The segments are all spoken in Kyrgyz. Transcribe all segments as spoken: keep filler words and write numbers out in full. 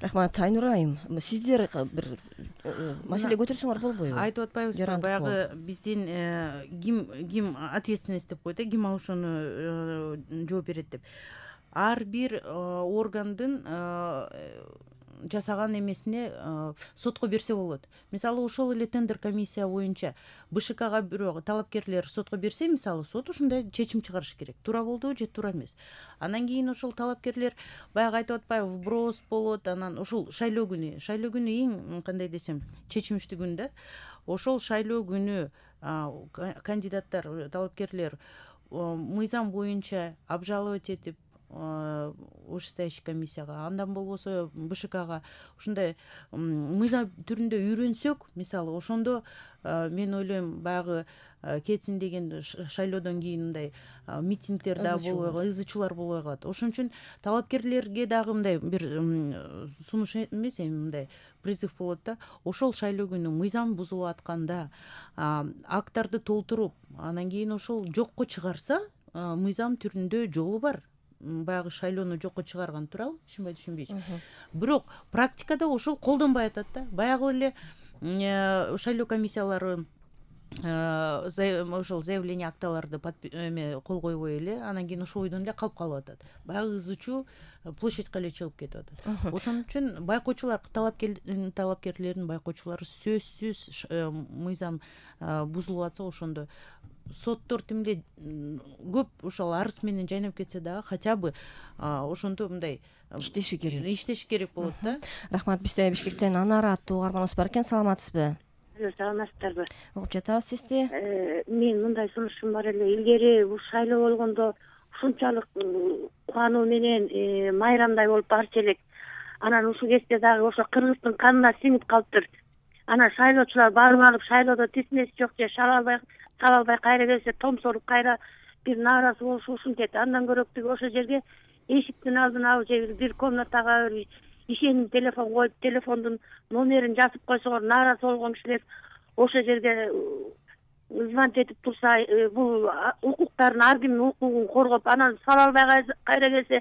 Рахмат. Айнура айым, сиздер бир маселе көтөрсөңөр болбойбу? Айтып атпайбызбы, баягы биздин ким ким ответственность деп коет, ким ошону жооп берет деп. Ар бир органдын жасаган эмесине сотко берсе болот. Мисалы, ошол эле тендер комиссия боюнча БШКга бирөө талапкерлер сотко берсе, мисалы, сот ушундай чечим чыгарыш керек. Туура болдубу же туура эмес. Анан кийин ошол талапкерлер баягы айтып атпайбы, вброс болот, анан ошол шайлоо күнү, шайлоо күнү эң кандай десем, чечимиштүү күн да. Ошол шайлоо күнү кандидаттар, талапкерлер мыйзам боюнча обжаловать этип вышестоящий комиссияга, андан болбосо БШКга ушундай мыйзам түрүндө үйрөнсөк, мисалы, ошондо мен ойлойм, баягы кетсин деген шайлоодон кийин мындай митингдер да болбой калат, ызычуулар болбой калат. Ошон үчүн талапкерлерге дагы мындай бир сунуш эмес, эми мындай призыв болот да. Ошол шайлоо күнү мыйзам бузулуп атканда акттарды толтуруп, анан кийин ошол жокко чыгарса, мыйзам түрүндө жолу бар. Баягы шайлоону жокко чыгарган, туурабы? Түшүнбөй түшүнбөйчү. Бирок практикада ошол колдонбой атат да. Баягы эле шайлоо комиссиялары ошол заявление акталарды кол койбой эле, анан кийин ошол ойдон эле калып калып атат. Баягы ызычуу площадька эле чыгып кетип атат. Ошон үчүн байкоочулар, талапкерлердин байкоочулары сөзсүз мыйзам бузулуп атса, ошондо соттор тимде көп ошол арыз менен жайнап кетсе дагы, хотя бы ошондо мындай иштеши керек. Иштеши керек болот да. Рахмат. Бизде Бишкектен Анара аттуу угарманыбыз бар экен. Саламатсызбы? Саламатсыздарбы? Угуп жатабыз сизди. Мен мындай сунушум бар эле. Илгери бул шайлоо болгондо ушунчалык кубануу менен майрамдай болуп барчу элек. Анан ушул кезде дагы ошо кыргыздын канына сиңип калыптыр. Анан шайлоочулар барып алып, шайлоодо тесмеси жок же шала албай, сала албай кайра келсе, томсоруп кайра бир нааразы болушу ушинтет. Андан көрөктүгү ошол жерге эшиктин алдына алып же бир комнатага бир ишеним телефон коюп, телефондун номерин жазып койсоңор, нааразы болгон кишилер ошол жерге звонить этип турса, бул укуктарын, ар кимдин укугун коргоп, анан сала албай кайра келсе,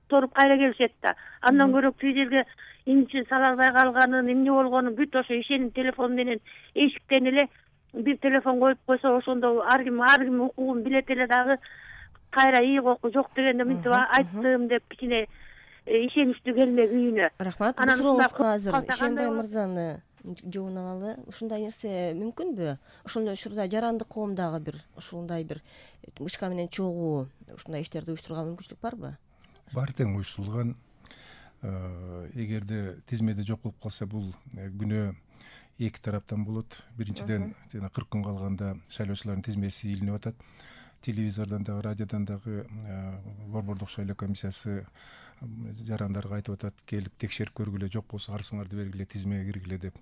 торуп кайра келишет да. Андан көрөктүү жерге эмне сала албай калганын, эмне болгонун бүт ошо ишеним телефон менен эшиктен эле бир телефон коюп койсо, ошондо ар ким ар ким укугун билет эле дагы кайра ийгоку жок дегенде мынтип айттым деп кичине ишеничтүү келмек үйүнө. Рахмат. Бул сурообузга азыр Ишенбай мырзаны жообун алалы. Ушундай нерсе мүмкүнбү? Ошондой учурда жарандык коомдагы бир ушундай бир мышка менен чогуу ушундай иштерди уюштурууга мүмкүнчүлүк барбы? Бар тең уюштурулган. Эгерде тизмеде жок болуп калса, бул күнөө эки тараптан болот. Биринчиден, жана кырк күн калганда шайлоочулардын тизмеси илинип атат. Телевизордон дагы, радиодон дагы борбордук шайлоо комиссиясы жарандарга айтып атат, келип текшерип көргүлө, жок болсо арызыңарды бергиле, тизмеге киргиле деп.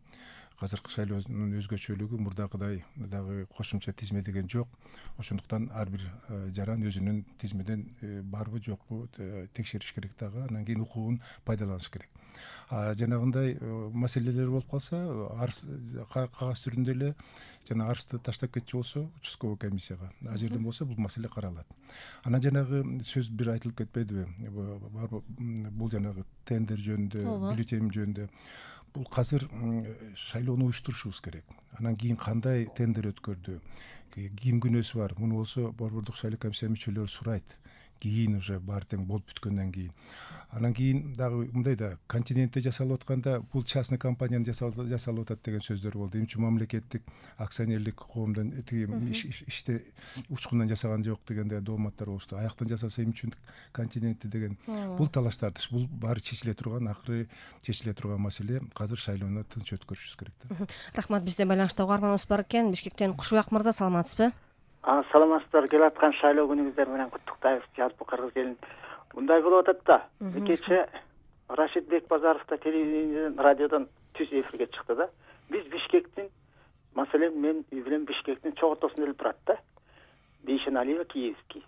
Азыркы шайлоонун өзгөчөлүгү мурдагыдай дагы кошумча тизме деген жок. Ошондуктан ар бир жаран өзүнүн тизмеден барбы жокпу текшериш керек дагы, анан кийин укугун пайдаланыш керек. Жанагындай маселелер болуп калса, арыз кагаз түрүндө эле жана арызды таштап кетчү болсо, участковый комиссияга, а жерден болсо бул маселе каралат. Анан жанагы сөз бир айтылып кетпедиби? Бул жанагы тендер жөнүндө, бюллетень жөнүндө. Бул казыр шайлоону уюштурушубуз керек. Анан кийин кандай тендер өткөрдү, ким күнөөсү бар, муну болсо борбордук шайлоо комиссия мүчөлөрү сурайт. Кийин уже баары тең болуп бүткөндөн кийин. Анан кийин дагы мындай да, континентте жасалып атканда бул частный компанияны жасалып атат деген сөздөр болду. Эмне үчүн мамлекеттик акционерлик коомдон иште учкундан жасаган жок дегенде дооматтар болушту. Аяктан жасаса эмне үчүн континентте деген бул талаштарды, бул баары чечиле турган, акыры чечиле турган маселе. Казыр шайлоону тынч өткөрүшүбүз керек да. Рахмат. Бизде байланышта угарманыбыз бар экен. Бишкектен Кушубак мырза, саламатсызбы? Саламатсыздар. Келе аткан шайлоо күнүңүздөр менен куттуктайбыз, жалпы кыргыз элин. Мындай болуп атат да. Кечээ Рашид Бекбазаров да телевизияден, радиодон түз эфирге чыкты да. Биз Бишкектин, маселен мен үй билен Бишкектин чок ортосунда эле турат да. Бейшен Алиева, Киевский.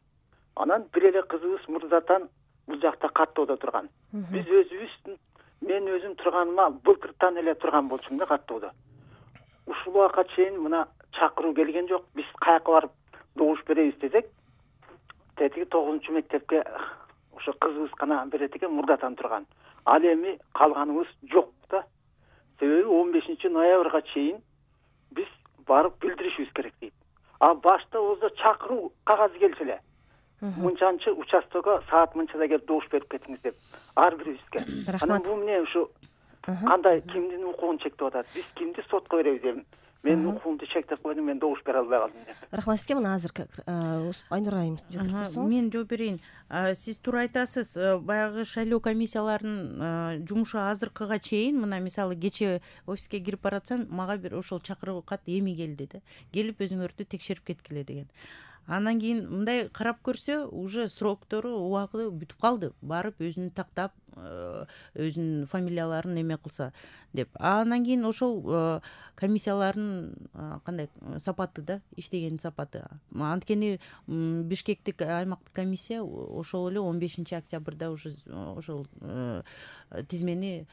Анан бир эле кызыбыз Мурзатан бул жакта каттоодо турган. Биз өзүбүз, мен өзүм турганыма былтыртан эле турган болчумун да каттоодо. Ушул убакка чейин мына чакыруу келген жок. Биз каяка барып добуш беребиз десек, тетиги тогузунчу мектепке ошо кызыбыз гана берет экен, Мурзатан турган. ал эми калганыбыз жок да. Себеби он бешинчи ноябрга чейин биз барып билдиришибиз керек дейт. А башта өзү чакыруу кагаzy келчү эле. Мынчанчы участокко саат мынчада келип добуш берип кетиңиз деп ар бирибизге. Анан бул эмне ушу кандай кимдин укугун чектеп атат? Биз кимди сотко беребиз дедим. Мен укугумду чектеп койдум, мен добуш бере албай калдым деп. Рахмат сизге. Мына азыр Айнур айым жооп берсеңиз. Мен жооп берейин. Сиз туура айтасыз. Баягы шайлоо комиссияларынын жумушу азыркыга чейин, мына мисалы кечээ офиске кирип баратсам, мага бир ошол чакыруу кат эми келди да. Келип өзүңөрдү текшерип кеткиле деген. Андан кийин мындай карап көрсө, уже сроктору, убагы бүтүп калды. Барып өзүн тактап, өзүнүн фамилияларын эме кылса деп. Андан кийин ошол комиссиялардын кандай сапаты да, иштеген сапаты. Анткени Бишкектик аймактык комиссия ошол эле он бешинчи октябрда уже ошол тизмени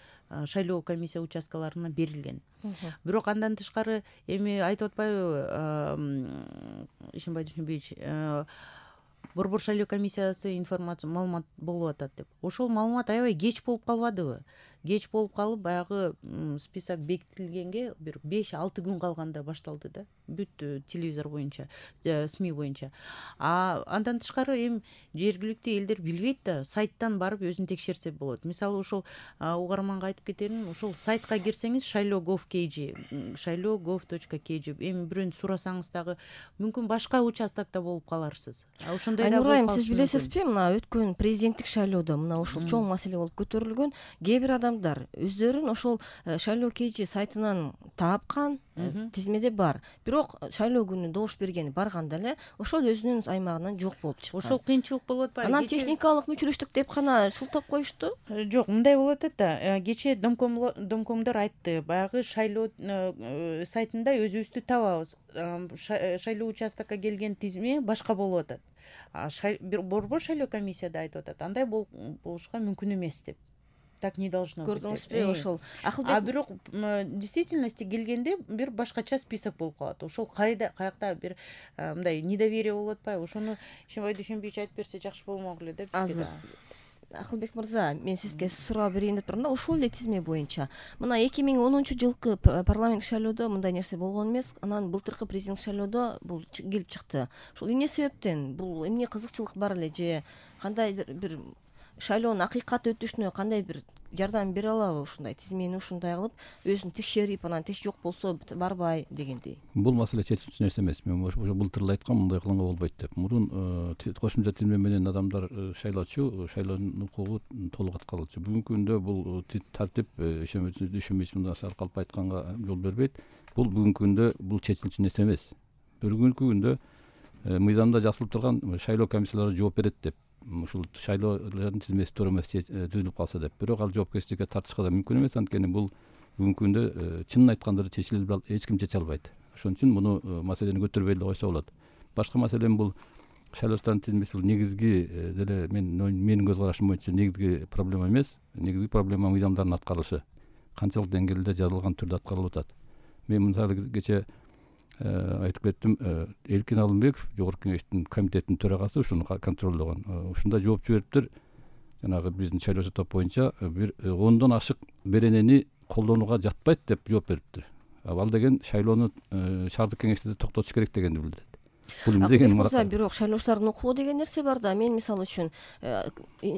шайлоо комиссия участкаларына берилген. Бирок андан тышкары эми айтып атпайбы Ишенбай Дүйшөнбиевич, Борбор шайлоо комиссиясы информация маалымат болуп атат деп. Ошол маалымат аябай кеч болуп калбадыбы? Кеч болуп калып, баягы список бекитилгенге бир беш алты күн калганда башталды да. Бүт телевизор боюнча, СМИ боюнча. А андан тышкары эми жергиликтүү элдер билбейт да, сайттан барып өзүн текшерсе болот. Мисалы ошол угарманга айтып кетерим, ошол сайтка кирсеңиз шайлоо точка гов точка кж, шайлоо точка гов точка кж, эми бирөөнү сурасаңыз дагы мүмкүн башка участокто болуп каларсыз. А ошондой да болуп калышы. Сиз билесизби, мына өткөн президенттик шайлоодо мына ушул чоң маселе болуп көтөрүлгөн. Кээ бир адамдар өздөрүн ошол шайлоо кж сайтынан таапкан, тизмеде бар. Бирок шайлоо күнү добуш бергени барганда эле ошол өзүнүн аймагынан жок болуп чыккан. Ошол кыйынчылык болуп атпайбы? Анан техникалык мүчүлүштүк деп гана сылтап коюшту. Жок, мындай болуп атат да. Кечээ домкомдор айтты, баягы шайлоо сайтында өзүбүздү табабыз. Шайлоо участокко келген тизме башка болуп атат. Борбор шайлоо комиссияда айтып атат, андай болушка мүмкүн эмес деп. Так не должно быть. Көрдүңүзбү ошол? А бирок действительности келгенде бир башкача список болуп калат. Ошол кайда, каякта бир мындай недоверие болуп атпайбы? Ошону Ишенбай Дүйшөнбиевич айтып берсе жакшы болмок эле деп бизге. Акылбек мырза, мен сизге суроо берейин деп турмун да, ушул эле тизме боюнча. Мына эки миң онунчу жылкы парламенттик шайлоодо мындай нерсе болгон эмес. Анан былтыркы президенттик шайлоодо бул келип чыкты. Ушул эмне себептен? Бул эмне кызыкчылык бар эле же кандайдыр бир шайлоонун акыйкат өтүшүнө кандай бир жардам бере алабы ушундай тизмени ушундай кылып өзүн текшерип, анан теч жок болсо барбай дегендей? Бул маселе чечилчү нерсе эмес. Мен ошо былтыр эле айткам, мындай кылганга болбойт деп. Мурун кошумча тизме менен адамдар шайлоочу, шайлоонун укугу толук аткарылчу. Бүгүнкү күндө бул тартип Ишенбай Дүйшөнбиевич мындай калп айтканга жол бербейт. Бул бүгүнкү күндө бул чечилчү нерсе эмес. Бүгүнкү күндө мыйзамда жазылып турган шайлоо комиссиялары жооп берет деп. Ушул шайлоолордун тизмеси туура эмес түзүлүп калса деп. Бирок ал жоопкерчиликке тартышка да мүмкүн эмес, анткени бул бүгүнкү күндө чынын айтканда чечилип эч ким чече албайт. Ошон үчүн муну маселени көтөрбөй эле койсо болот. Башка маселе бул шайлоочулардын тизмеси бул негизги деле мен менин көз карашым боюнча негизги проблема эмес. Негизги проблема мыйзамдардын аткарылышы. Канчалык деңгээлде жазылган түрдө аткарылып атат. Мен мисалы кечээ айтып кеттим, Эркин Алымбеков жогорку кеңештин комитетинин төрагасы ушуну контролдогон. Ушунда жооп жибериптир. Жанагы биздин шайлоо топ боюнча бир ондон ашык беренени колдонууга жатпайт деп жооп бериптир. Ал деген шайлоону шаардык кеңеште токтотуш керек дегенди билдирет. Бул эмне деген мурда? Бирок шайлоочулардын укугу деген нерсе бар да. Мен мисалы үчүн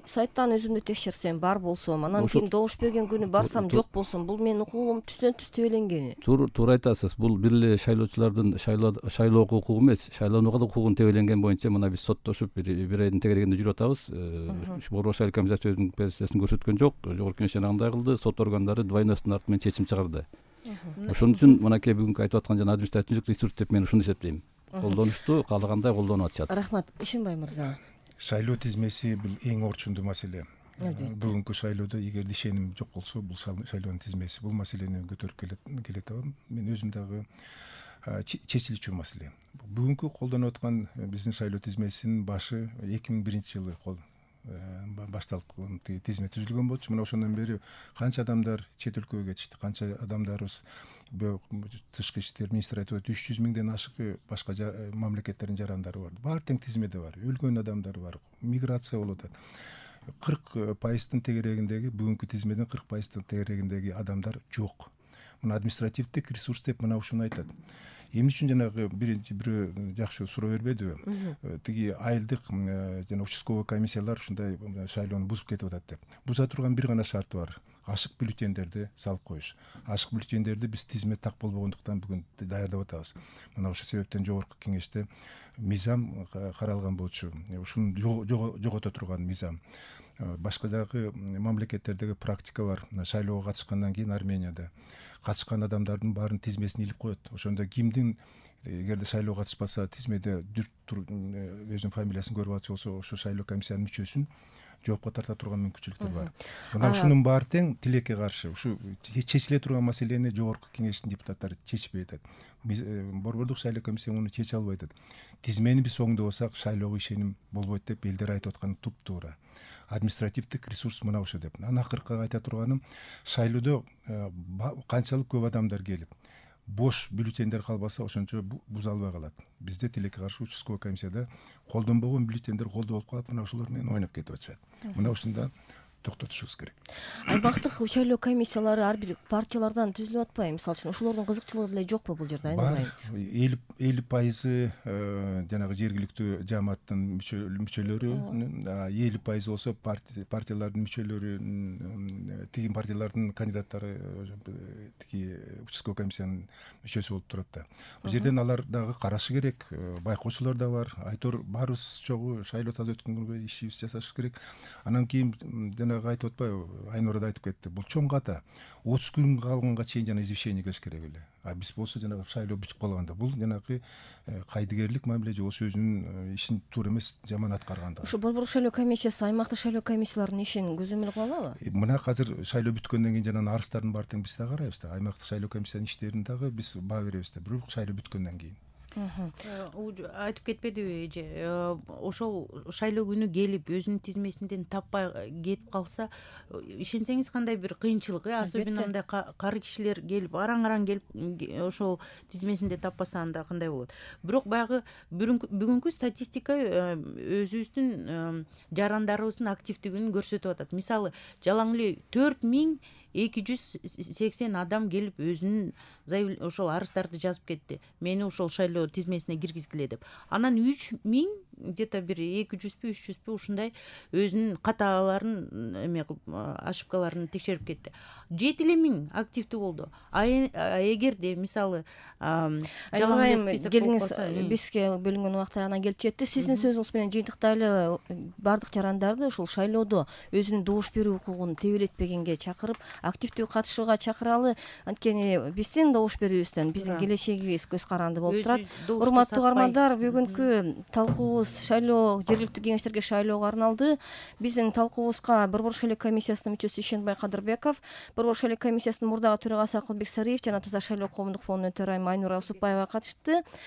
сайттан өзүмдү текшерсем, бар болсом, анан кийин добуш берген күнү барсам жок болсом, бул менин укугум түздөн түз тебеленгени. Туура айтасыз. Бул бир эле шайлоочулардын шайлоо укугу эмес, шайлоонууга да укугун тебеленген боюнча мына биз соттошуп бир айдын тегерегинде жүрүп атабыз. Борбор шайлоо комиссиясы өзүнүн позициясын көрсөткөн жок. Жогорку кеңеш андай кылды, сот органдары двойностун арты менен чечим чыгарды. Ошон үчүн мынакей бүгүнкү айтып аткан жана административдик ресурс деп мен ушуну эсептейм. Колдонушту каалагандай колдонуп атышат. Рахмат. Ишенбай мырза. Шайлоо тизмеси бул эң орчундуу маселе. Бүгүнкү шайлоодо эгер ишеним жок болсо, бул шайлоонун тизмеси бул маселени көтөрүп келет. Мен өзүм дагы чечилчү маселе. Бүгүнкү колдонуп аткан биздин шайлоо тизмесинин башы эки миң биринчи жылы башталып тизме түзүлгөн болчу. Мына ошондон бери канча адамдар чет өлкөгө кетишти, канча адамдарыбыз тышкы иштер министри айтып атат, үч жүз миңден ашык башка мамлекеттердин жарандары бар. Баары тең тизмеде бар. Өлгөн адамдар бар, миграция болуп атат. кырк пайыздын тегерегиндеги бүгүнкү тизмедин кырк пайыздын тегерегиндеги адамдар жок. Мына административдик ресурс деп мына ушуну айтат. Эмне үчүн жанагы биринчи бирөө жакшы суроо бербедиби? Тиги айылдык жана участковый комиссиялар ушундай шайлоону бузуп кетип атат деп. Буза турган бир гана шарты бар. Ашык бюллетендерди салып коюш. Ашык бюллетендерди биз тизме так болбогондуктан бүгүн даярдап атабыз. Мына ошол себептен жогорку кеңеште мыйзам каралган болчу. Ушуну жогото турган мыйзам. Башка дагы мамлекеттердеги практика бар. Шайлоого катышкандан кийин Арменияда катышкан адамдардын баарын тизмесин илип коет. Ошондо кимдин эгерде шайлоого катышпаса тизмеде өзүнүн фамилиясын көрүп алчу болсо ошо шайлоо комиссиянын мүчөсүн жоопко тарта турган мүмкүнчүлүктөр бар. Мына ушунун баары тең тилекке каршы. Ушу чечиле турган маселени жогорку кеңештин депутаттары чечпей атат. Борбордук шайлоо комиссия муну чече албай атат. Тизмени биз оңдобосак шайлоого ишеним болбойт деп элдер айтып атканы туп-туура. Административдик ресурс мына ошо деп. Анан акыркы айта турганым, шайлоодо канчалык көп адамдар келип бош бюллетендер калбаса ошончо буза албай калат. Бизде тилекке каршы участковый комиссияда колдонбогон бюллетендер колдо болуп калат, мына ошолор менен ойноп кетип атышат. Мына ушунда токтотушубуз керек. Аймактык шайлоо комиссиялары ар бир партиялардан түзүлүп атпайбы? Мисалы үчүн ошолордун кызыкчылыгы деле жокпу бул жерде? Бар. элүү пайызы жанагы жергиликтүү жамааттын мүчөлөрү, элүү пайызы болсо партиялардын мүчөлөрү, тиги партиялардын кандидаттары тиги участковый комиссиянын мүчөсү болуп турат да. Бул жерден алар дагы карашы керек. Байкоочулар да бар. Айтор баарыбыз чогуу шайлоо таза өткөнгө ишибизди жасашыбыз керек. Анан кийин жана айтып атпайбы, Айнура да айтып кетти. Бул чоң ката. отуз күн калганга чейин жана извещение келиш керек эле. А биз болсо жанагы шайлоо бүтүп калганда бул жанагы кайдыгерлик мамиле же болсо өзүнүн ишин туура эмес жаман аткарганда. Ушу борбордук шайлоо комиссиясы аймактык шайлоо комиссияларынын ишин көзөмөл кыла алабы? Мына азыр шайлоо бүткөндөн кийин жана арыздардын баары тең биз да карайбыз да. Аймактык шайлоо комиссиянын иштерин дагы биз баа беребиз да. Бирок шайлоо бүткөндөн кийин. Айтып кетпедиби эже, ошол шайлоо күнү келип өзүнүн тизмесинден таппай кетип калса, ишенсеңиз кандай бир кыйынчылык, особенно мындай кары кишилер келип араң-араң келип ошол тизмесинде таппаса анда кандай болот. Бирок баягы бүгүнкү статистика өзүбүздүн жарандарыбыздын активдигин көрсөтүп атат. Мисалы, жалаң эле төрт миң эки жүз сексен адам келип өзүнүн ошол арыздарды жазып кетти. Мени ошол шайлоо тизмесине киргизгиле деп. Анан үч миң где-то бир эки жүзбү үч жүзбү ушундай өзүнүн каталарын эме кылып ошибкаларын текшерип кетти. жети эле миң активдүү болду. А эгерде мисалы жалаң келиңиз, бизге бөлүнгөн убакыт анан келип жетти. Сиздин сөзүңүз менен жыйынтыктайлы бардык жарандарды ушул шайлоодо өзүнүн добуш берүү укугун тебелетпегенге чакырып, активдүү катышууга чакыралы. Анткени биздин добуш берүүбүздөн биздин келечегибиз көз каранды болуп турат. Урматтуу угармандар, бүгүнкү талкуубуз шайлоо жергиликтүү кеңештерге шайлоого арналды. Биздин талкуубузга борбордук шайлоо комиссиясынын мүчөсү Ишенбай Кадырбеков, борбордук шайлоо комиссиясынын мурдагы төрагасы Акылбек Сариев жана Таза шайлоо коомдук фондунун төрайымы Айнура Усупбаева катышты.